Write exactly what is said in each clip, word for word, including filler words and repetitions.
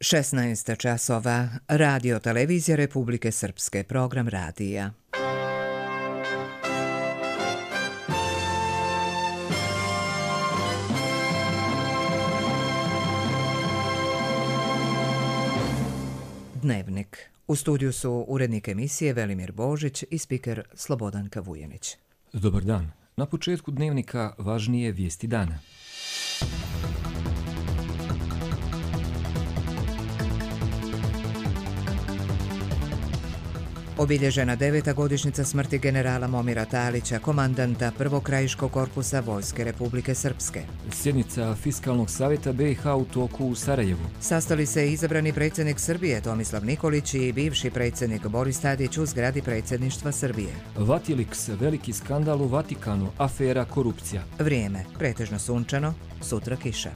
šesnaest časova, Radio televizija Republike Srpske, program radija. Dnevnik. U studiju su urednik emisije Velimir Božić i spiker Slobodanka Vujanić. Dobar dan. Na početku dnevnika važnije vijesti dana. Obilježena deveta godišnjica smrti generala Momira Talića, komandanta prvog krajiškog korpusa Vojske Republike Srpske. Sjednica Fiskalnog savjeta B i H u toku u Sarajevu. Sastali se izabrani predsjednik Srbije Tomislav Nikolić i bivši predsjednik Boris Tadić u zgradi predsjedništva Srbije. Vatilix, veliki skandal u Vatikanu, afera korupcija. Vrijeme, pretežno sunčano, sutra kiša.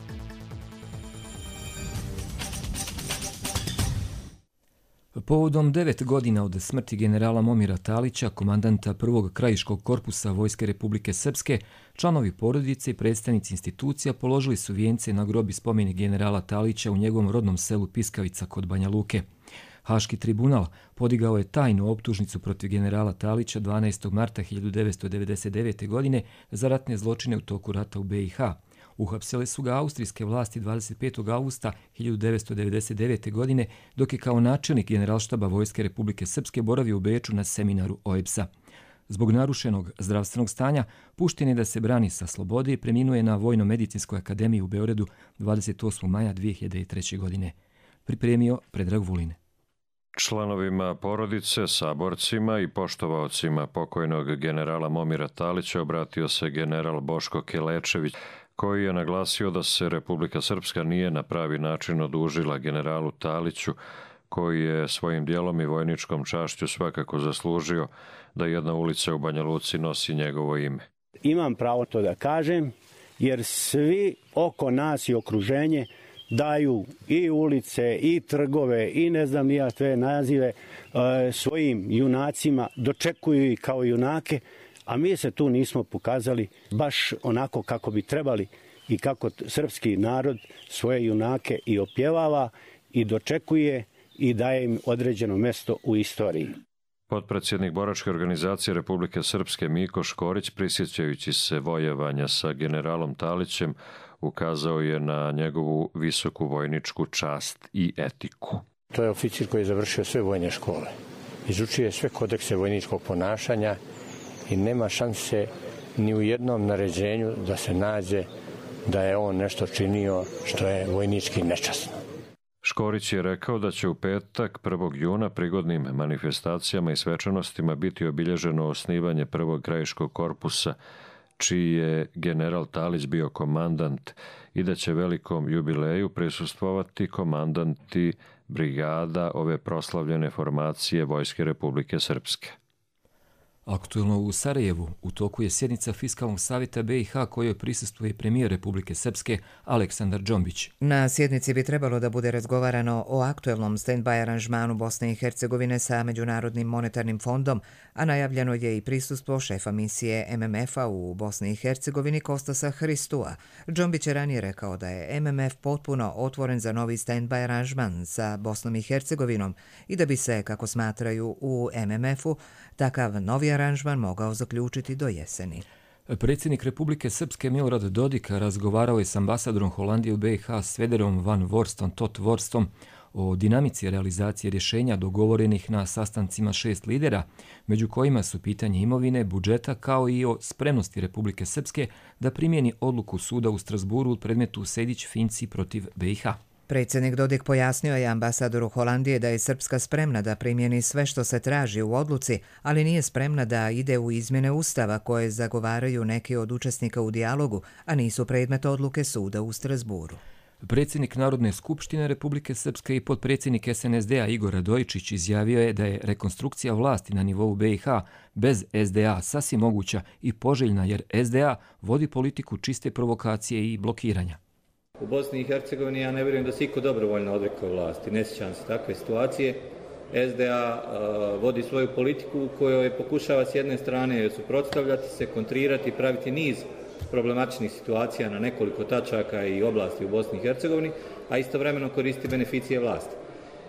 Povodom devet godina od smrti generala Momira Talića, komandanta prvog krajiškog korpusa Vojske Republike Srpske, članovi porodice i predstavnici institucija položili su vijence na grob i spomenik generala Talića u njegovom rodnom selu Piskavica kod Banja Luke. Haški tribunal podigao je tajnu optužnicu protiv generala Talića dvanaestog marta hiljadu devetsto devedeset devete. godine za ratne zločine u toku rata u B i H. Uhapsile su ga austrijske vlasti dvadeset petog avgusta hiljadu devetsto devedeset devete. godine, dok je kao načelnik generalštaba Vojske Republike Srpske boravio u Beču na seminaru O E B S-a. Zbog narušenog zdravstvenog stanja, pušten je da se brani sa slobode i preminuje na Vojno-medicinskoj akademiji u Beogradu dvadeset osmog maja dvije hiljade treće. godine. Pripremio Predrag Vulin. Članovima porodice, saborcima i poštovaocima pokojnog generala Momira Talića obratio se general Boško Kelečević, koji je naglasio da se Republika Srpska nije na pravi način odužila generalu Taliću, koji je svojim dijelom i vojničkom čašću svakako zaslužio da jedna ulica u Banja Luci nosi njegovo ime. Imam pravo to da kažem, jer svi oko nas i okruženje daju i ulice, i trgove, i ne znam nija sve nazive e, svojim junacima, dočekuju ih kao junake, a mi se tu nismo pokazali baš onako kako bi trebali i kako srpski narod svoje junake i opjevava i dočekuje i daje im određeno mjesto u istoriji. Potpredsjednik Boračke organizacije Republike Srpske Miko Škorić, prisjećajući se vojevanja sa generalom Talićem, ukazao je na njegovu visoku vojničku čast i etiku. To je oficir koji je završio sve vojne škole. Izučio je sve kodekse vojničkog ponašanja i nema šanse ni u jednom naređenju da se nađe da je on nešto činio što je vojnički nečasno. Škorić je rekao da će u petak prvog juna prigodnim manifestacijama i svečanostima biti obilježeno osnivanje prvog krajiškog korpusa, čiji je general Talić bio komandant, i da će velikom jubileju prisustvovati komandanti brigada ove proslavljene formacije Vojske Republike Srpske. Aktuelno u Sarajevu u toku je sjednica Fiskalnog savjeta B i H kojoj prisustvuje premijer Republike Srpske Aleksandar Džombić. Na sjednici bi trebalo da bude razgovarano o aktuelnom stand-by aranžmanu Bosne i Hercegovine sa Međunarodnim monetarnim fondom, a najavljeno je i prisustvo šefa misije M M F-a u Bosni i Hercegovini Kostasa Hristua. Džombić je ranije rekao da je M M F potpuno otvoren za novi stand-by aranžman sa Bosnom i Hercegovinom i da bi se, kako smatraju u M M F-u, takav novi aranžman mogao zaključiti do jeseni. Predsjednik Republike Srpske Milorad Dodik razgovarao je s ambasadorom Holandije u B i H Svederom van Vorstom Tot Vorstom o dinamici realizacije rješenja dogovorenih na sastancima šest lidera, među kojima su pitanje imovine, budžeta kao i o spremnosti Republike Srpske da primjeni odluku suda u Strasburu u predmetu Sejdić-Finci protiv B i H. Predsjednik Dodik pojasnio je ambasadoru Holandije da je Srpska spremna da primjeni sve što se traži u odluci, ali nije spremna da ide u izmjene Ustava koje zagovaraju neki od učesnika u dijalogu, a nisu predmet odluke suda u Strasburu. Predsjednik Narodne skupštine Republike Srpske i potpredsjednik S N S D-a Igor Radojičić izjavio je da je rekonstrukcija vlasti na nivou B i H bez S D A sasvim moguća i poželjna, jer S D A vodi politiku čiste provokacije i blokiranja. U Bosni i Hercegovini ja ne vjerujem da se iko dobrovoljno odrekao vlasti. Ne sjećam se takve situacije. S D A uh, vodi svoju politiku u kojoj pokušava s jedne strane suprotstavljati se, kontrirati, praviti niz problematičnih situacija na nekoliko tačaka i oblasti u Bosni i Hercegovini, a istovremeno koristi beneficije vlasti.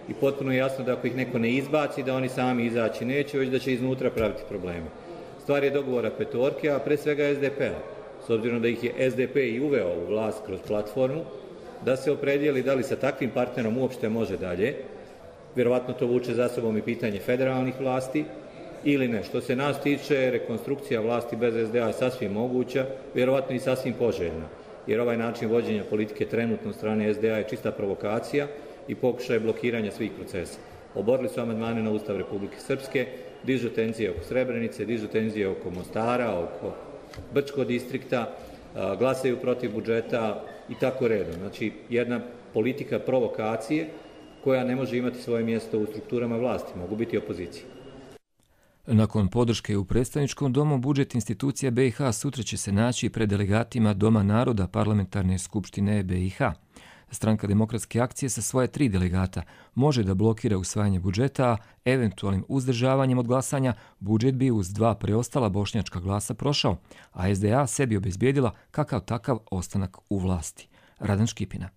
I potpuno je jasno da ako ih neko ne izbaci, da oni sami izaći neće, već da će iznutra praviti probleme. Stvar je dogovora petorke, a pre svega es de pe-a. S obzirom da ih je es de pe i uveo u vlast kroz platformu, da se opredijeli da li sa takvim partnerom uopšte može dalje. Vjerovatno to vuče za sobom i pitanje federalnih vlasti, ili ne. Što se nas tiče, rekonstrukcija vlasti bez es de a je sasvim moguća, vjerovatno i sasvim poželjna, jer ovaj način vođenja politike trenutno od strane es de a je čista provokacija i pokušaj blokiranja svih procesa. Oborili su amandmane na Ustav Republike Srpske, dižu tenzije oko Srebrenice, dižu tenzije oko Mostara, oko Brčkog distrikta, glasaju protiv budžeta i tako redom. Znači, jedna politika provokacije koja ne može imati svoje mjesto u strukturama vlasti, mogu biti opozicije. Nakon podrške u predstavničkom domu, budžet institucija be i ha sutra će se naći pred delegatima Doma naroda Parlamentarne skupštine be i ha. Stranka Demokratske akcije sa svoje tri delegata može da blokira usvajanje budžeta, a eventualnim uzdržavanjem od glasanja budžet bi uz dva preostala bošnjačka glasa prošao, a es de a sebi obezbijedila kakav takav ostanak u vlasti. Radan Škipina.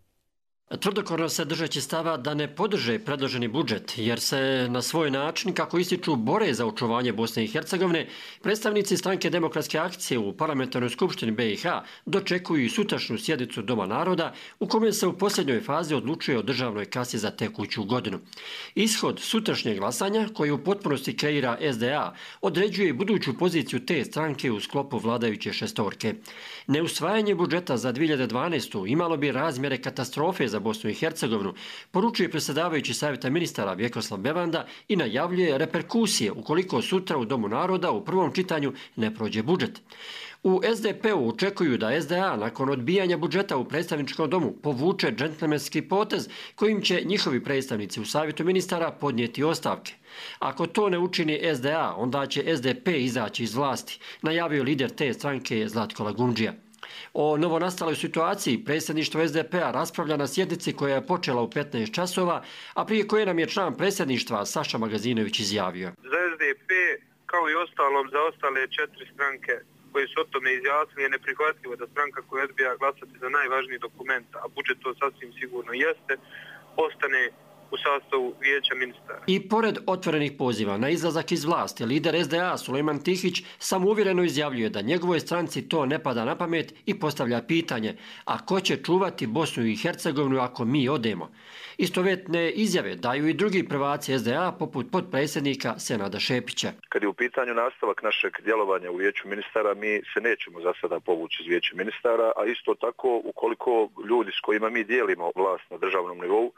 Tvrdokorno se držeći stava da ne podrže predloženi budžet, jer se na svoj način, kako ističu, bore za očuvanje Bosne i Hercegovine, predstavnici Stranke Demokratske akcije u Parlamentarnoj skupštini be i ha dočekuju i sutrašnju sjednicu Doma naroda, u kome se u posljednjoj fazi odlučuje o državnoj kasi za tekuću godinu. Ishod sutrašnjeg glasanja, koji u potpunosti kreira es de a, određuje i buduću poziciju te stranke u sklopu vladajuće šestorke. Neusvajanje budžeta za dvije hiljade dvanaestu. imalo bi razmjere katastrofe za Bosnu i Hercegovinu, poručuje predsjedavajući savjeta ministara Vjekoslav Bevanda i najavljuje reperkusije ukoliko sutra u Domu naroda u prvom čitanju ne prođe budžet. U es de pe-u očekuju da es de a nakon odbijanja budžeta u predstavničkom domu povuče džentlmenski potez kojim će njihovi predstavnici u savjetu ministara podnijeti ostavke. Ako to ne učini es de a, onda će es de pe izaći iz vlasti, najavio lider te stranke Zlatko Lagundžija. O novonastaloj situaciji predsjedništvo es de pe-a raspravlja na sjednici koja je počela u petnaest časova, a prije koje nam je član predsjedništva Saša Magazinović izjavio. Za es de pe, kao i ostalom za ostale četiri stranke koje su o tome izjasnili, je neprihvatljivo da stranka koja odbija glasati za najvažniji dokument, a budžet to sasvim sigurno jeste, ostane u sastavu vijeća ministara. I pored otvorenih poziva na izlazak iz vlasti, lider es de a Sulejman Tihić samouvjereno izjavljuje da njegovoj stranci to ne pada na pamet i postavlja pitanje: a ko će čuvati Bosnu i Hercegovinu ako mi odemo? Istovjetne izjave daju i drugi prvaci es de a poput potpredsjednika Senada Šepića. Kad je u pitanju nastavak našeg djelovanja u vijeću ministara, mi se nećemo za sada povući iz vijeća ministara, a isto tako ukoliko ljudi s kojima mi dijelimo vlast na državnom nivou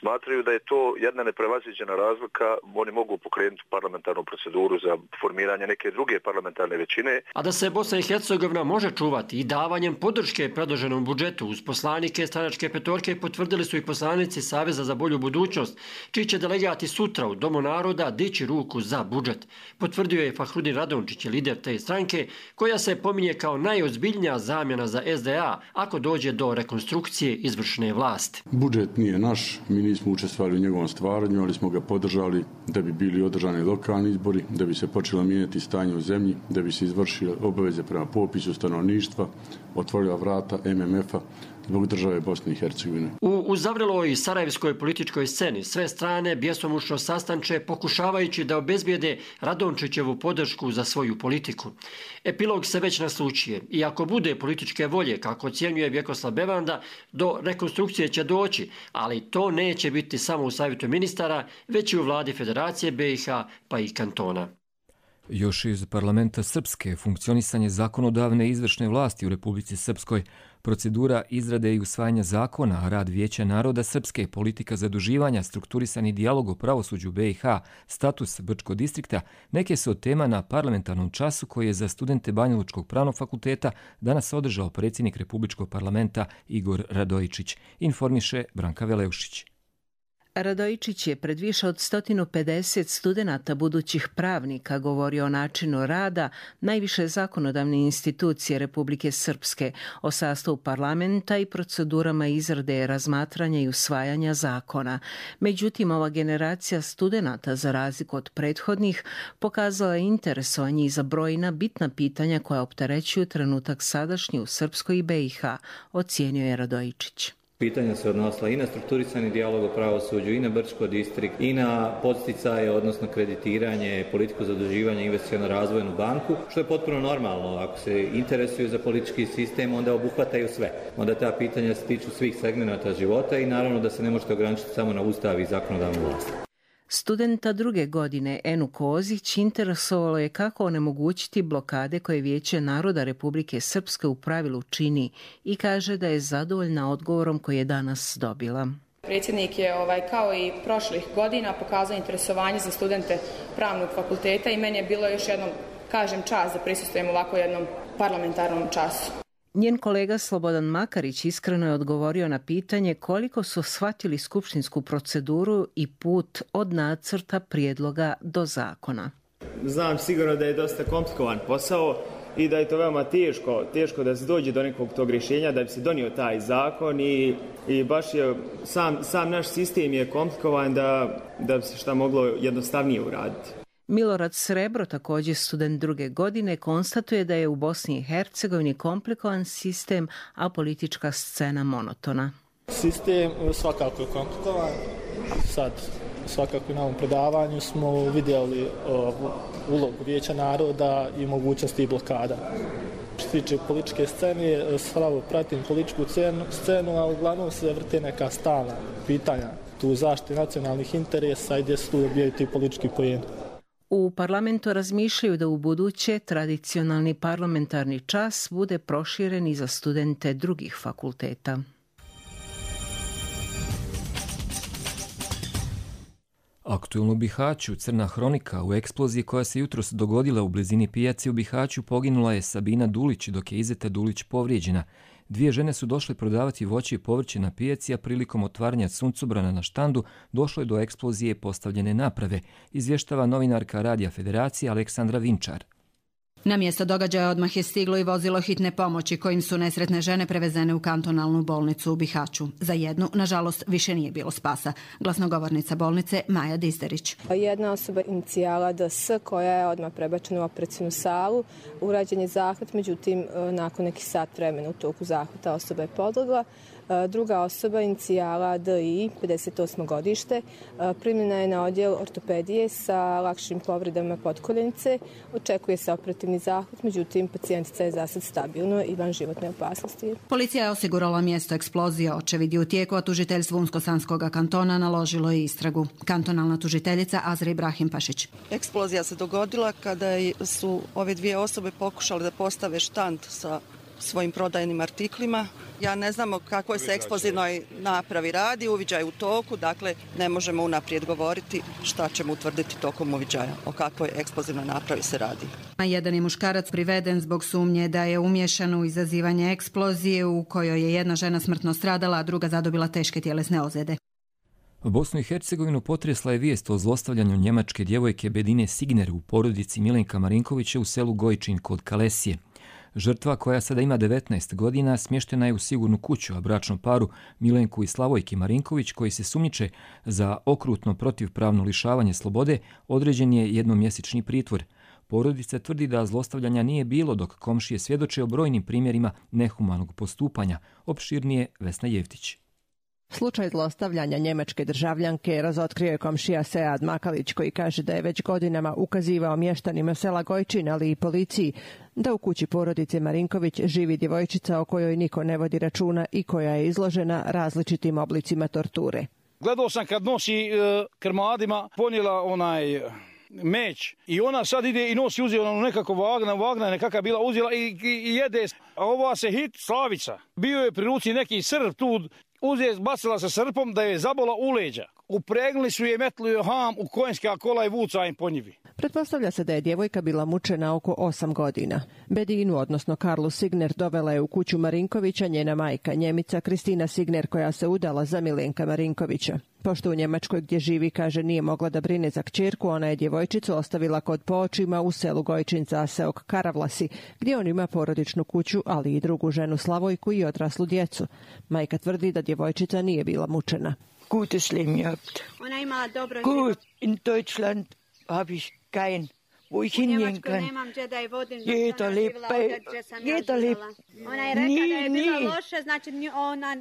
smatraju da je to jedna neprevaziđena razlika, oni mogu pokrenuti parlamentarnu proceduru za formiranje neke druge parlamentarne većine. A da se Bosna i Hercegovina može čuvati i davanjem podrške predloženom budžetu uz poslanike stranačke petorke potvrdili su i poslanici Saveza za bolju budućnost, čiji će delegati sutra u Domu naroda dići ruku za budžet. Potvrdio je Fahrudin Radončić, lider te stranke, koja se pominje kao najozbiljnija zamjena za es de a ako dođe do rekonstrukcije izvršne vlasti. Budžet nije naš. Mi nismo učestvovali u njegovom stvaranju, ali smo ga podržali da bi bili održani lokalni izbori, da bi se počelo mijenjati stanje u zemlji, da bi se izvršile obaveze prema popisu stanovništva, otvorila vrata em em ef-a zbog države Bosne i Hercegovine. U uzavreloj sarajevskoj političkoj sceni sve strane bjesomučno sastanče pokušavajući da obezbijede Radončićevu podršku za svoju politiku. Epilog se već naslučuje i ako bude političke volje, kako ocjenjuje Vjekoslav Bevanda, do rekonstrukcije će doći, ali to neće biti samo u savjetu ministara, već i u vladi Federacije be i ha pa i kantona. Još iz parlamenta Srpske, funkcionisanje zakonodavne i izvršne vlasti u Republici Srpskoj, procedura izrade i usvajanja zakona, rad Vijeća naroda Srpske, politika zaduživanja, strukturisani dijalog o pravosuđu be i ha, status Brčkog distrikta, neke su od tema na parlamentarnom času koji je za studente Banjalučkog pravnog fakulteta danas održao predsjednik Republičkog parlamenta Igor Radojičić, informiše Branka Veleušić. Radojičić je pred više od sto pedeset studenata budućih pravnika govorio o načinu rada najviše zakonodavne institucije Republike Srpske, o sastavu parlamenta i procedurama izrade, razmatranja i usvajanja zakona. Međutim, ova generacija studenata, za razliku od prethodnih, pokazala je interesovanje i za brojna bitna pitanja koja opterećuju trenutak sadašnji u Srpskoj i be i ha, ocijenio je Radojičić. Pitanja se odnosila i na strukturisani dijalog o pravosuđu, i na Brčko distrikt, i na podsticaje, odnosno kreditiranje, politiku zaduživanja, investicionu razvojnu banku, što je potpuno normalno. Ako se interesuju za politički sistem, onda obuhvataju sve. Onda ta pitanja se tiču svih segmenata života i naravno da se ne možete ograničiti samo na ustav i zakonodavnu vlast. Studenta druge godine Enu Kozić interesovalo je kako onemogućiti blokade koje Vijeće naroda Republike Srpske u pravilu čini i kaže da je zadovoljna odgovorom koji je danas dobila. Predsjednik je ovaj, kao i prošlih godina pokazao interesovanje za studente pravnog fakulteta i meni je bilo još jednom, kažem, čast da prisustvujem ovako jednom parlamentarnom času. Njen kolega Slobodan Makarić iskreno je odgovorio na pitanje koliko su shvatili skupštinsku proceduru i put od nacrta prijedloga do zakona. Znam sigurno da je dosta komplikovan posao i da je to veoma teško, teško da se dođe do nekog tog rješenja da bi se donio taj zakon i, i baš je sam, sam naš sistem je komplikovan da, da bi se šta moglo jednostavnije uraditi. Milorad Srebro, također student druge godine, konstatuje da je u Bosni i Hercegovini komplikovan sistem, a politička scena monotona. Sistem svakako je komplikovan. Sad, svakako na ovom predavanju smo vidjeli uh, ulogu Vijeća naroda i mogućnosti blokada. Što se tiče političke scene, slabo pratim političku scenu, a uglavnom se vrte neka stalna pitanja tu zaštite nacionalnih interesa i gdje se tu dobijaju ti politički poeni. U parlamentu razmišljaju da u buduće tradicionalni parlamentarni čas bude proširen i za studente drugih fakulteta. Aktuelno u Bihaću, crna hronika, u eksploziji koja se jutros dogodila u blizini pijace u Bihaću poginula je Sabina Dulić, dok je Izeta Dulić povrijeđena. Dvije žene su došle prodavati voće i povrće na pijaci, a prilikom otvaranja suncobrana na štandu došlo je do eksplozije postavljene naprave, izvještava novinarka Radija Federacije Aleksandra Vinčar. Na mjesto događaja odmah je stiglo i vozilo hitne pomoći kojim su nesretne žene prevezene u kantonalnu bolnicu u Bihaću. Za jednu, nažalost, više nije bilo spasa. Glasnogovornica bolnice Maja Dizderić. Jedna osoba inicijala D S koja je odmah prebačena u operacijnu salu. Urađen je zahvat, međutim, nakon nekih sat vremena u toku zahvata osoba je podlegla. Druga osoba, inicijala D I, pedeset osmo godište, primljena je na odjel ortopedije sa lakšim povredama potkoljenice. Očekuje se operativni zahvat, međutim, pacijentica je zasad stabilno i van životne opasnosti. Policija je osigurala mjesto eksplozije. Očevid je u tijeku, a tužiteljstvo Unsko-Sanskog kantona naložilo je istragu. Kantonalna tužiteljica Azra Ibrahim Pašić. Eksplozija se dogodila kada su ove dvije osobe pokušale da postave štand sa svojim prodajnim artiklima. Ja ne znamo kakvoj se eksplozivnoj napravi radi, uviđaj u toku, dakle ne možemo unaprijed govoriti šta ćemo utvrditi tokom uviđaja, o kakvoj eksplozivnoj napravi se radi. Jedan je muškarac priveden zbog sumnje da je umiješan u izazivanje eksplozije u kojoj je jedna žena smrtno stradala, a druga zadobila teške tjelesne ozljede. Bosnu i Hercegovinu potresla je vijest o zlostavljanju njemačke djevojke Bedine Signer u porodici Milenka Marinkovića u selu Gojčin kod Kalesije. Žrtva, koja sada ima devetnaest godina, smještena je u sigurnu kuću, a bračnom paru Milenku i Slavojki Marinković, koji se sumnjiče za okrutno protivpravno lišavanje slobode, određen je jednomjesečni pritvor. Porodica tvrdi da zlostavljanja nije bilo, dok komšije svjedoče o brojnim primjerima nehumanog postupanja. Opširnije Vesna Jevtić. Slučaj zlostavljanja njemačke državljanke razotkrio je komšija Sead Makalić, koji kaže da je već godinama ukazivao mještanima sela Gojčin, ali i policiji, da u kući porodice Marinković živi djevojčica o kojoj niko ne vodi računa i koja je izložena različitim oblicima torture. Gledao sam kad nosi e, krmadima, ponijela onaj meć i ona sad ide i nosi, uzela ono nekako vagna, vagna nekakva bila uzela i, i, i jede. A ova se hit Slavica. Bio je pri ruci neki Srb tu uzije, bacila se srpom da je zabola u leđa. Upregnuli su je, metli je ham u konjska kola i vuca im po njivi. Pretpostavlja se da je djevojka bila mučena oko osam godina. Bedinu, odnosno Karlu Signer, dovela je u kuću Marinkovića njena majka, Njemica Kristina Signer, koja se udala za Milenka Marinkovića. Pošto u Njemačkoj gdje živi, kaže, nije mogla da brine za kćerku, ona je djevojčicu ostavila kod poočima u selu Gojčinca Seok Karavlasi, gdje on ima porodičnu kuću, ali i drugu ženu Slavojku i odraslu djecu. Majka tvrdi da djevojčica nije bila mučena. Gutes Leben gehabt. Ona je imala dobro Gut, in Deutschland habe ich kein, wo ich hingehen kann. Jeder lebt bei, jeder lebt. Ona je rekla da je bilo loše, znači ona...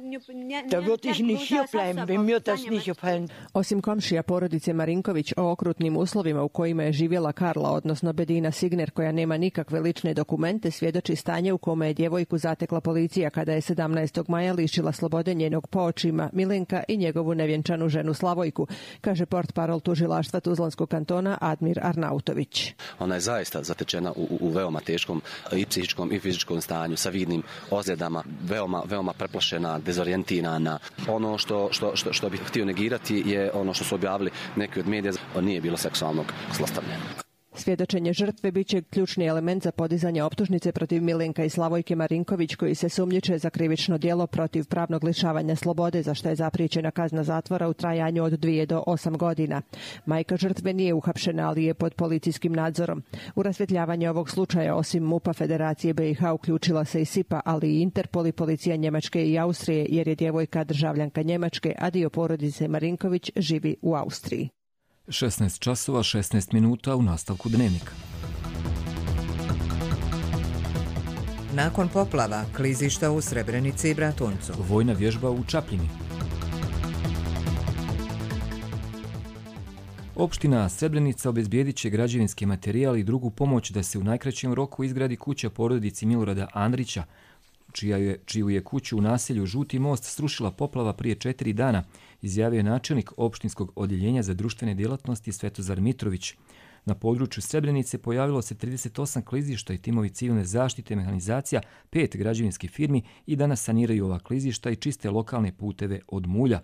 Da würde ich nicht hier bleiben, wenn mir das nicht gefallen. Osim komšija porodice Marinković o okrutnim uslovima u kojima je živjela Karla, odnosno Bedina Signer, koja nema nikakve lične dokumente, svjedoči stanje u kome je djevojku zatekla policija kada je sedamnaestog maja lišila slobode njenog poočima Milenka i njegovu nevjenčanu ženu Slavojku, kaže portparol tužilaštva Tuzlanskog kantona Admir Arnautović. Ona je zaista zatečena u, u veoma teškom i psihičkom i fizičkom stanju sa vidnim ozljedama, veoma, veoma preplašena, dezorijentirana. Ono što, što, što, što bih htio negirati je ono što su objavili neki od medija, nije bilo seksualnog zlostavljanja. Svjedočenje žrtve bit će ključni element za podizanje optužnice protiv Milenka i Slavojke Marinković, koji se sumnjiče za krivično djelo protiv pravnog lišavanja slobode, za što je zapriječena kazna zatvora u trajanju od dvije do osam godina. Majka žrtve nije uhapšena, ali je pod policijskim nadzorom. U rasvjetljavanje ovog slučaja, osim MUP-a Federacije B i H, uključila se i SIPA, ali i Interpol i policija Njemačke i Austrije, jer je djevojka državljanka Njemačke, a dio porodice Marinković živi u Austriji. šesnaest časova šesnaest minuta u nastavku Dnevnika. Nakon poplava, klizišta u Srebrenici i Bratuncu. Vojna vježba u Čapljini. Opština Srebrenica obezbijedit će građevinski materijal i drugu pomoć da se u najkraćem roku izgradi kuća porodici Milorada Andrića, čija je, čiju je kuću u naselju Žuti most srušila poplava prije četiri dana, izjavio je načelnik opštinskog odjeljenja za društvene djelatnosti Svetozar Mitrović. Na području Srebrenice pojavilo se trideset osam klizišta i timovi civilne zaštite, mehanizacija, pet građevinskih firmi i danas saniraju ova klizišta i čiste lokalne puteve od mulja.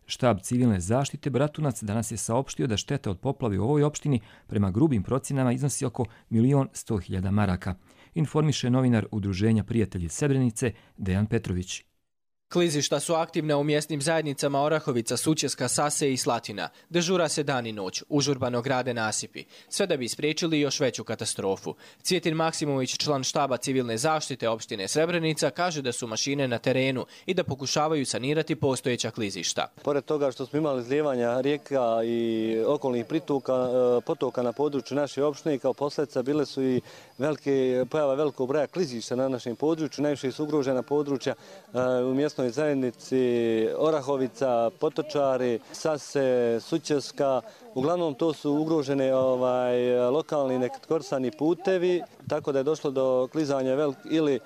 Štab civilne zaštite Bratunac danas je saopštio da šteta od poplave u ovoj opštini prema grubim procjenama iznosi oko milion sto hiljada maraka. Informiše novinar Udruženja Prijatelji Srebrenice Dejan Petrović. Klizišta su aktivne u mjesnim zajednicama Orahovica, Sućeska, Sase i Slatina. Dežura se dan i noć, užurbano grade nasipi. Sve da bi spriječili još veću katastrofu. Cvjetin Maksimović, član štaba civilne zaštite opštine Srebrenica, kaže da su mašine na terenu i da pokušavaju sanirati postojeća klizišta. Pored toga što smo imali izlijevanja rijeka i okolnih pritoka, potoka na području naše opštine, kao posljedica bile su i velike, pojava velikog broja klizišta na našem području. Najviše su ugrožena područja u mjestu zajednici Orahovica, Potočari, Sase, Sućeska. Uglavnom to su ugrožene ovaj, lokalni nekorsani putevi, tako da je došlo do klizanja velik, ili uh,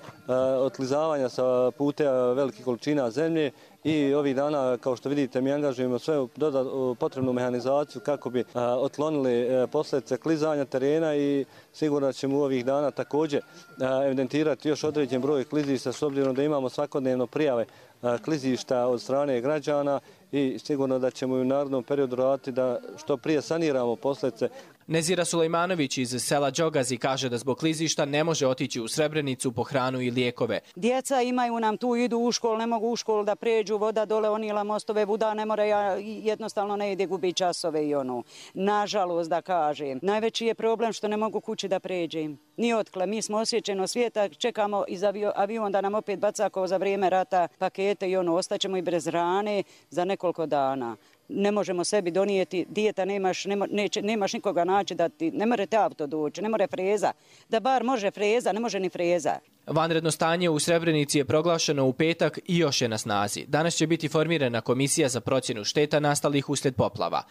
otklizavanja sa puteva velikih količina zemlje. I ovih dana, kao što vidite, mi angažujemo sve dodat, potrebnu mehanizaciju kako bi a, otklonili a, posljedice klizanja terena i sigurno ćemo u ovih dana također a, evidentirati još određen broj klizišta, s obzirom da imamo svakodnevno prijave a, klizišta od strane građana i sigurno da ćemo i u narednom periodu raditi da što prije saniramo posljedice. Nezira Sulejmanović iz sela Đogazi kaže da zbog klizišta ne može otići u Srebrenicu po hranu i lijekove. Djeca imaju nam tu, idu u školu, ne mogu u školu da pređu, voda dole onila mostove, voda ne mora, ja jednostavno ne ide, gubi časove i ono. Nažalost da kažem, najveći je problem što ne mogu kući da pređem. Ni otkle, mi smo osjećeno svijeta, čekamo iz avion da nam opet baca kao za vrijeme rata pakete i ono, ostaćemo i bez hrane za nekoliko dana. Ne možemo sebi donijeti, dijeta nemaš, nema, neće, nemaš nikoga naći da ti, ne more te auto doći, ne more freza. Da bar može freza, ne može ni freza. Vanredno stanje u Srebrenici je proglašeno u petak i još je na snazi. Danas će biti formirana komisija za procjenu šteta nastalih uslijed poplava.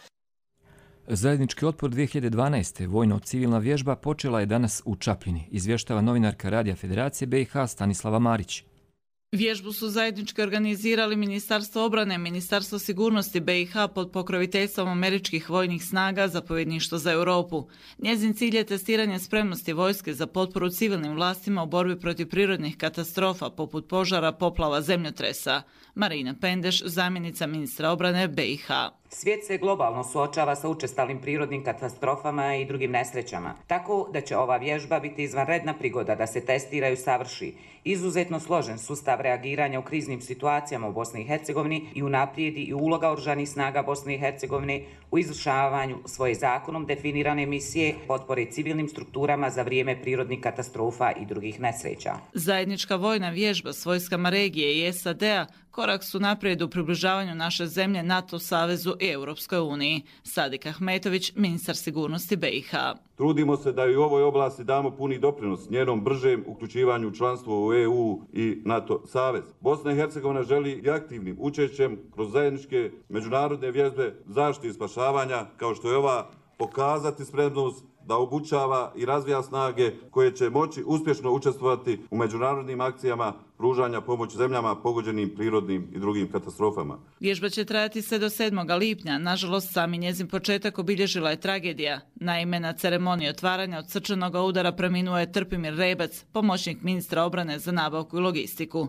Zajednički otpor dvije hiljade dvanaeste. vojno-civilna vježba počela je danas u Čapljini, izvještava novinarka Radija Federacije B i H Stanislava Marić. Vježbu su zajednički organizirali Ministarstvo obrane, Ministarstvo sigurnosti B i H pod pokroviteljstvom američkih vojnih snaga, zapovjedništvo za Europu. Njezin cilj je testiranje spremnosti vojske za potporu civilnim vlastima u borbi protiv prirodnih katastrofa poput požara, poplava, zemljotresa. Marina Pendeš, zamjenica ministra obrane B i H. Svijet se globalno suočava sa učestalim prirodnim katastrofama i drugim nesrećama, tako da će ova vježba biti izvanredna prigoda da se testira i usavrši izuzetno složen sustav reagiranja u kriznim situacijama u Bosni i Hercegovini i unaprijedi i uloga oružanih snaga Bosne i Hercegovine u izvršavanju svoje zakonom definirane misije potpore civilnim strukturama za vrijeme prirodnih katastrofa i drugih nesreća. Zajednička vojna vježba s vojskama regije i S A D-a korak su naprijed u približavanju naše zemlje NATO savezu i Europskoj uniji. Sadik Ahmetović, ministar sigurnosti B i H. Trudimo se da i u ovoj oblasti damo puni doprinos njenom bržem uključivanju u članstvo u E U i NATO savez. Bosna i Hercegovina želi i aktivnim učešćem kroz zajedničke međunarodne vježbe zaštite i spašavanja, kao što je ova, pokazati spremnost da obučava i razvija snage koje će moći uspješno učestvovati u međunarodnim akcijama pružanja pomoći zemljama pogođenim prirodnim i drugim katastrofama. Vježba će trajati sve do sedmoga lipnja. Nažalost, sami njezin početak obilježila je tragedija. Naime, na ceremoniji otvaranja od srčanog udara preminuo je Trpimir Rebac, pomoćnik ministra obrane za nabavku i logistiku.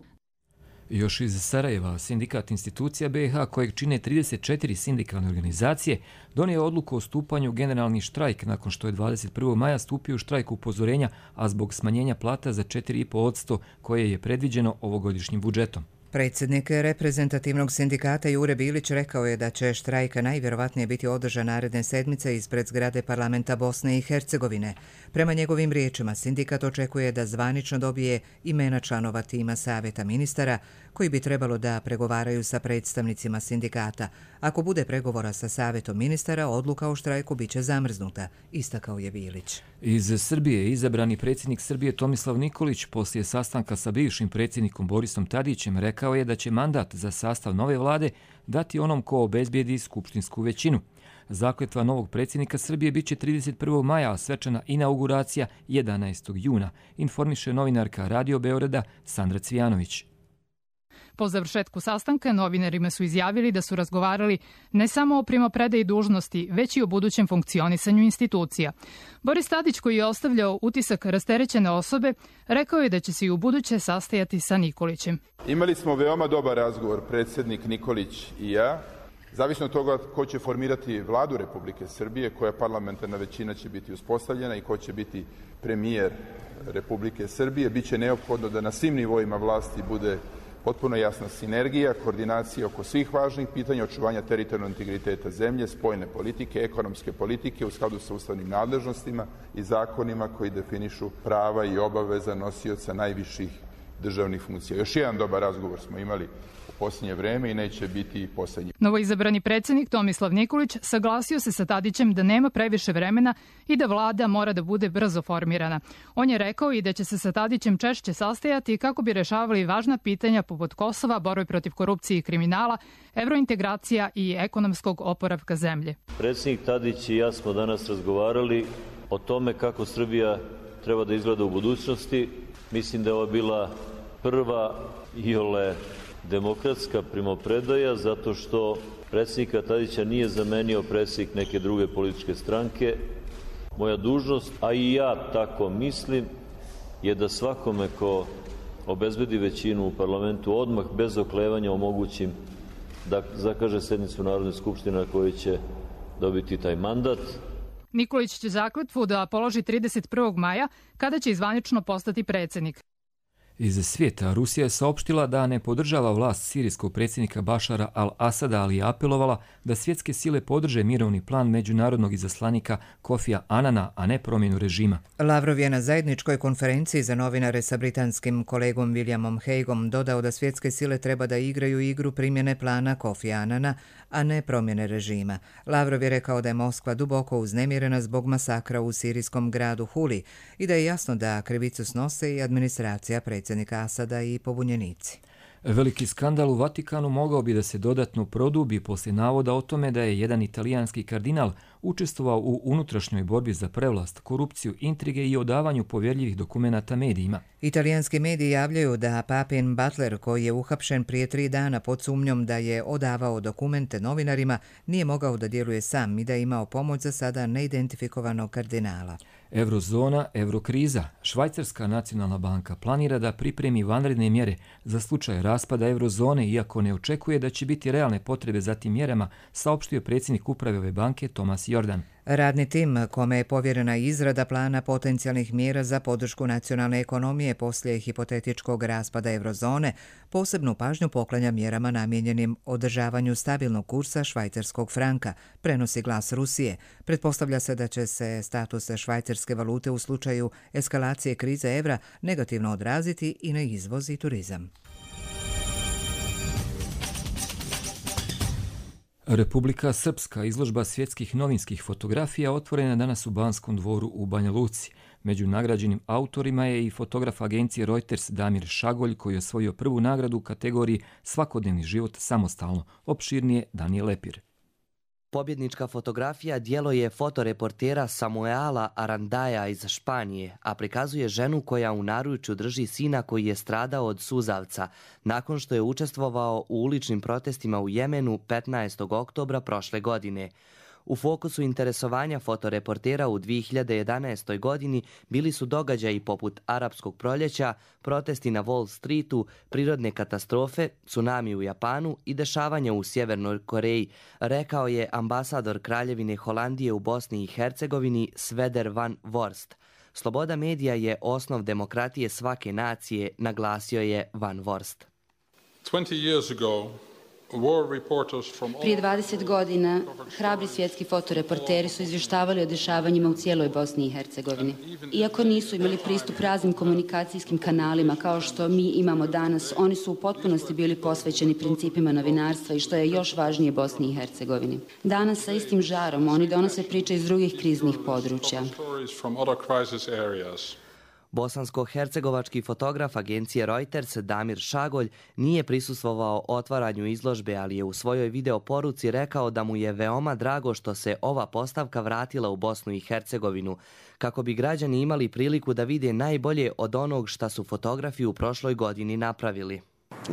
Još iz Sarajeva, sindikat institucija B i H, kojeg čine trideset četiri sindikalne organizacije, donio je odluku o stupanju u generalni štrajk nakon što je dvadeset prvog maja stupio u štrajk upozorenja, a zbog smanjenja plata za četiri zarez pet posto koje je predviđeno ovogodišnjim budžetom. Predsjednik reprezentativnog sindikata Jure Bilić rekao je da će štrajka najvjerovatnije biti održan naredne sedmice ispred zgrade parlamenta Bosne i Hercegovine. Prema njegovim riječima, sindikat očekuje da zvanično dobije imena članova tima savjeta ministara koji bi trebalo da pregovaraju sa predstavnicima sindikata. Ako bude pregovora sa savjetom ministara, odluka o štrajku biće zamrznuta, istakao je Bilić. Iz Srbije izabrani predsjednik Srbije Tomislav Nikolić poslije sastanka sa bivšim predsjednikom Borisom Tadićem rekao je da će mandat za sastav nove vlade dati onom ko obezbijedi skupštinsku većinu. Zakletva novog predsjednika Srbije biće trideset prvog maja, a svečana inauguracija jedanaestog juna, informiše novinarka Radio Beograda Sandra Cvijanović. Po završetku sastanka novinarima su izjavili da su razgovarali ne samo o primopredaji dužnosti, već i o budućem funkcionisanju institucija. Boris Tadić, koji je ostavljao utisak rasterećene osobe, rekao je da će se i u buduće sastajati sa Nikolićem. Imali smo veoma dobar razgovor, predsjednik Nikolić i ja. Zavisno od toga ko će formirati vladu Republike Srbije, koja parlamentarna većina će biti uspostavljena i ko će biti premijer Republike Srbije, biće neophodno da na svim nivoima vlasti bude potpuno jasna sinergija, koordinacija oko svih važnih pitanja, očuvanja teritorijalnog integriteta zemlje, spoljne politike, ekonomske politike u skladu sa ustavnim nadležnostima i zakonima koji definišu prava i obaveza nosioca najviših državnih funkcija. Još jedan dobar razgovor smo imali u posljednje vreme i neće biti posljednji. Novoizabrani predsjednik Tomislav Nikolić saglasio se sa Tadićem da nema previše vremena i da vlada mora da bude brzo formirana. On je rekao i da će se sa Tadićem češće sastajati kako bi rešavali važna pitanja poput Kosova, borbe protiv korupcije i kriminala, evrointegracija i ekonomskog oporavka zemlje. Predsjednik Tadić i ja smo danas razgovarali o tome kako Srbija treba da izgleda u budućnosti. Mislim da je ovo bila prva iole demokratska primopredaja, zato što predsjednika Tadića nije zamenio predsjednik neke druge političke stranke. Moja dužnost, a i ja tako mislim, je da svakome ko obezbedi većinu u parlamentu odmah bez oklevanja omogućim da zakaže sednicu Narodne skupštine na kojoj će dobiti taj mandat. Nikolić će zakletvu da položi trideset prvog maja, kada će izvanično postati predsjednik. Iz svijeta Rusija je saopštila da ne podržava vlast sirijskog predsjednika Bašara al-Asada, ali je apelovala da svjetske sile podrže mirovni plan međunarodnog izaslanika Kofija Anana, a ne promjenu režima. Lavrov je na zajedničkoj konferenciji za novinare sa britanskim kolegom Williamom Hagueom dodao da svjetske sile treba da igraju igru primjene plana Kofija Anana, a ne promjene režima. Lavrov je rekao da je Moskva duboko uznemirena zbog masakra u sirijskom gradu Huli i da je jasno da krivicu snose i administracija predsjednika Asada i pobunjenici. Veliki skandal u Vatikanu mogao bi da se dodatno produbi poslije navoda o tome da je jedan italijanski kardinal učestvovao u unutrašnjoj borbi za prevlast, korupciju, intrige i odavanju povjerljivih dokumenata medijima. Italijanski mediji javljaju da papin Butler, koji je uhapšen prije tri dana pod sumnjom da je odavao dokumente novinarima, nije mogao da djeluje sam i da je imao pomoć za sada neidentifikovanog kardinala. Eurozona, eurokriza. Švajcarska nacionalna banka planira da pripremi vanredne mjere za slučaj raspada eurozone, iako ne očekuje da će biti realne potrebe za tim mjerama, saopštio predsjednik uprave ove banke Tomas Jordan. Radni tim, kome je povjerena izrada plana potencijalnih mjera za podršku nacionalne ekonomije poslije hipotetičkog raspada eurozone, posebnu pažnju poklanja mjerama namijenjenim održavanju stabilnog kursa švajcarskog franka, prenosi Glas Rusije. Pretpostavlja se da će se status švajcarske valute u slučaju eskalacije krize evra negativno odraziti i na izvoz i turizam. Republika Srpska, izložba svjetskih novinskih fotografija, otvorena danas u Banskom dvoru u Banja Luci. Među nagrađenim autorima je i fotograf agencije Reuters Damir Šagolj, koji je osvojio prvu nagradu u kategoriji Svakodnevni život samostalno. Opširnije Danijel Lepir. Pobjednička fotografija djelo je fotoreportera Samuela Arandaja iz Španije, a prikazuje ženu koja u naručju drži sina koji je stradao od suzavca nakon što je učestvovao u uličnim protestima u Jemenu petnaestog oktobra prošle godine. U fokusu interesovanja fotoreportera u dvije hiljade jedanaestoj. godini bili su događaji poput Arapskog proljeća, protesti na Wall Streetu, prirodne katastrofe, tsunami u Japanu i dešavanja u Sjevernoj Koreji, rekao je ambasador Kraljevine Holandije u Bosni i Hercegovini Svedar van Vorst. Sloboda medija je osnov demokratije svake nacije, naglasio je Van Vorst. Prije dvadeset godina hrabri svjetski fotoreporteri su izvještavali o dešavanjima u cijeloj Bosni i Hercegovini. Iako nisu imali pristup raznim komunikacijskim kanalima kao što mi imamo danas, oni su u potpunosti bili posvećeni principima novinarstva i što je još važnije Bosni i Hercegovini. Danas sa istim žarom oni donose priče iz drugih kriznih područja. Bosansko-hercegovački fotograf agencije Reuters Damir Šagolj nije prisustvovao otvaranju izložbe, ali je u svojoj video poruci rekao da mu je veoma drago što se ova postavka vratila u Bosnu i Hercegovinu, kako bi građani imali priliku da vide najbolje od onog šta su fotografi u prošloj godini napravili.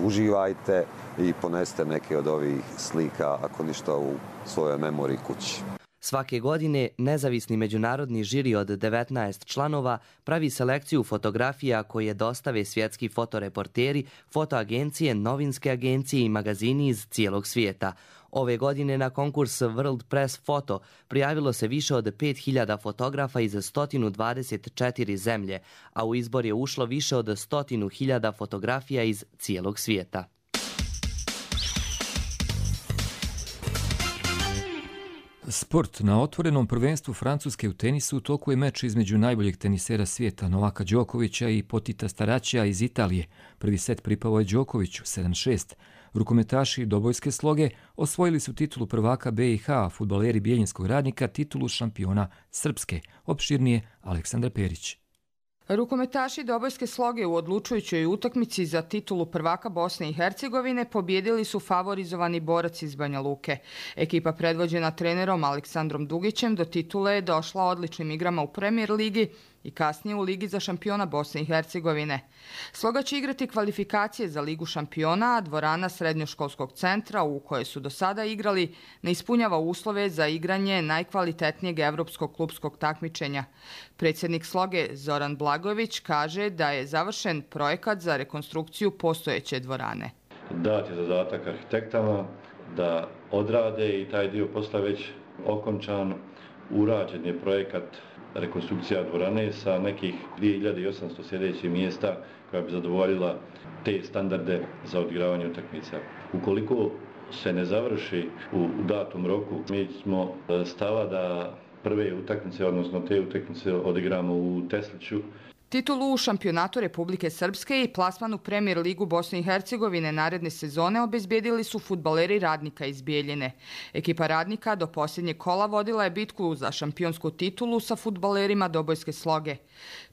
Uživajte i poneste neke od ovih slika, ako ništa, u svojoj memoriji kući. Svake godine nezavisni međunarodni žiri od devetnaest članova pravi selekciju fotografija koje dostave svjetski fotoreporteri, fotoagencije, novinske agencije i magazini iz cijelog svijeta. Ove godine na konkurs World Press Photo prijavilo se više od pet hiljada fotografa iz sto dvadeset četiri zemlje, a u izbor je ušlo više od sto hiljada fotografija iz cijelog svijeta. Sport. Na otvorenom prvenstvu Francuske u tenisu u toku je meč između najboljeg tenisera svijeta Novaka Đokovića i Potita Staraćija iz Italije. Prvi set pripao je Đokoviću sedam šest. Rukometaši dobojske sloge osvojili su titulu prvaka B i H, a fudbaleri Bijeljinskog Radnika titulu šampiona Srpske. Opširnije Aleksandar Perić. Rukometaši dobojske sloge u odlučujućoj utakmici za titulu prvaka Bosne i Hercegovine pobjedili su favorizovani Borac iz Banja Luke. Ekipa predvođena trenerom Aleksandrom Dugićem do titule je došla odličnim igrama u Premier ligi i kasnije u Ligi za šampiona Bosne i Hercegovine. Sloga će igrati kvalifikacije za Ligu šampiona, a dvorana srednjoškolskog centra u kojoj su do sada igrali ne ispunjava uslove za igranje najkvalitetnijeg evropskog klupskog takmičenja. Predsjednik Sloge Zoran Blagojević kaže da je završen projekat za rekonstrukciju postojeće dvorane. Dat je zadatak arhitektama da odrade i taj dio posla već okončan. Urađen je projekat rekonstrukcija dvorane sa nekih dvije hiljade osamsto sljedećih mjesta koja bi zadovoljila te standarde za odigravanje utakmica. Ukoliko se ne završi u datom roku, mi smo stava da prve utakmice, odnosno te utakmice odigramo u Tesliću. Titulu u šampionatu Republike Srpske i plasman u Premier ligu Bosne i Hercegovine naredne sezone obezbjedili su fudbaleri Radnika iz Bijeljine. Ekipa Radnika do posljednjeg kola vodila je bitku za šampionsku titulu sa fudbalerima dobojske sloge.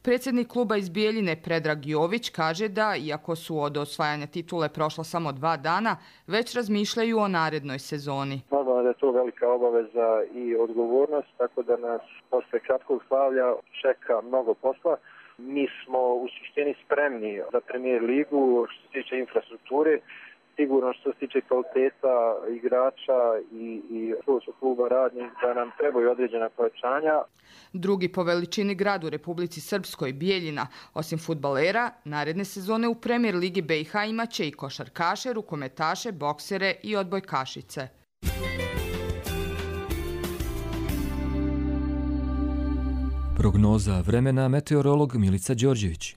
Predsjednik kluba iz Bijeljine Predrag Jović kaže da, iako su od osvajanja titule prošla samo dva dana, već razmišljaju o narednoj sezoni. Normalno da je to velika obaveza i odgovornost, tako da nas posle kratkog slavlja čeka mnogo posla. Mi smo u suštini spremni za Premier ligu što se tiče infrastrukture, sigurno što se tiče kvaliteta igrača i, i kluba radnih da nam trebaju određena pojačanja. Drugi po veličini grad u Republici Srpskoj, Bijeljina, osim fudbalera, naredne sezone u Premier Ligi B i H imaće i košarkaše, rukometaše, boksere i odbojkašice. Prognoza vremena, meteorolog Milica Đorđević.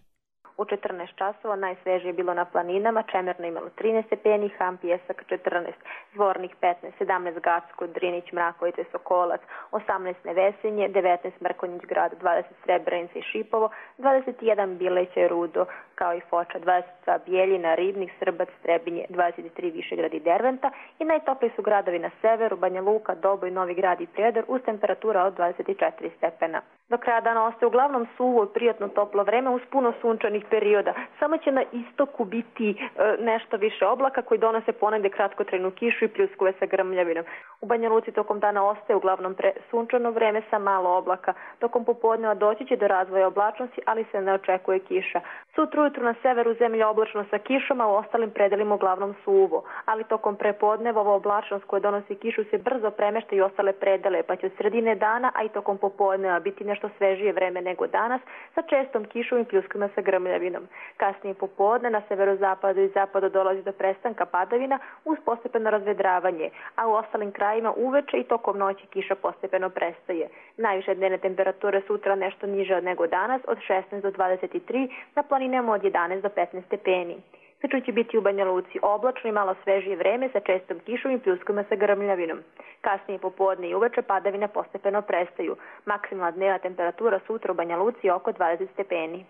U četrnaest časova najsvežije je bilo na planinama, Čemerno imalo trinaest stepeni, Ham, Pijesak četrnaest, Zvornik petnaest, sedamnaest Gacko, Drinić, Mrakovice, Sokolac, osamnaest Nevesinje, devetnaest Mrkonjić grad, dvadeset Srebrenica i Šipovo, dvadeset jedan Bileće, Rudo, kao i Foča, dvadeset dva Bijeljina, Ribnik, Srbac, Trebinje, dvadeset tri Višegrad i Derventa i najtopliji su gradovi na severu, Banja Luka, Doboj, Novi Grad i Prijedor uz temperatura od dvadeset četiri stepena. Do kraja dana ostaje uglavnom suvo i prijatno toplo vreme uz puno sunčanih perioda. Samo će na istoku biti e, nešto više oblaka koji donose ponegde kratkotrajnu kišu i pljuskove sa grmljavinom. U Banja Luci tokom dana ostaje uglavnom pre, sunčano vreme sa malo oblaka. Tokom popodneva doći će do razvoja oblačnosti, ali se ne očekuje kiša. Sutra ujutru na severu zemlja oblačno sa kišom, a u ostalim predelima uglavnom suvo. Ali tokom prepodneva ova oblačnost koja donosi kišu se brzo premešta i ostale predele, pa će od sredine dana, a i tokom popodneva biti nešto svežije vreme nego danas, sa čestom kišom i pljuskovima sa grmljavinom. Kasnije popodne na severozapadu i zapadu dolazi do prestanka padavina uz postepeno razvedravanje, a u ostalim krajima uveče i tokom noći kiša postepeno prestaje. Najviše dnevne temperature sutra nešto niže nego danas, od šesnaest do dvadeset tri, na planinama od jedanaest do petnaest stepeni. Sutra će biti u Banja Luci oblačno i malo svežije vreme sa čestom kišom i pljuskovima sa grmljavinom. Kasnije popodne i uveče padavine postepeno prestaju. Maksimalna dnevna temperatura sutra u Banja Luci je oko dvadeset stepeni.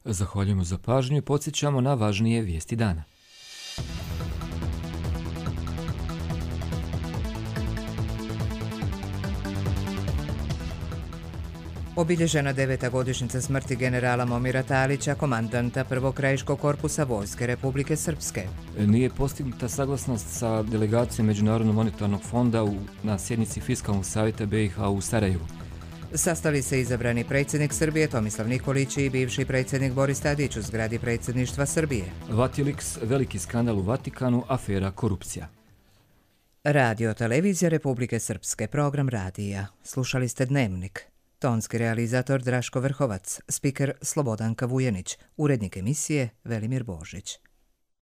Zahvaljujemo za pažnju i podsjećamo na važnije vijesti dana. Obilježena deveta godišnjica smrti generala Momira Talića, komandanta prvog krajiškog korpusa Vojske Republike Srpske. Nije postignuta saglasnost sa delegacijom Međunarodnog monetarnog fonda u, na sjednici Fiskalnog savjeta B i H u Sarajevu. Sastali se izabrani predsjednik Srbije Tomislav Nikolić i bivši predsjednik Boris Tadić u zgradi predsjedništva Srbije. Vatilix, veliki skandal u Vatikanu, afera korupcija. Radio televizija Republike Srpske, program radija. Slušali ste Dnevnik. Tonski realizator Draško Vrhovac, spiker Slobodanka Vujenić, urednik emisije Velimir Božić.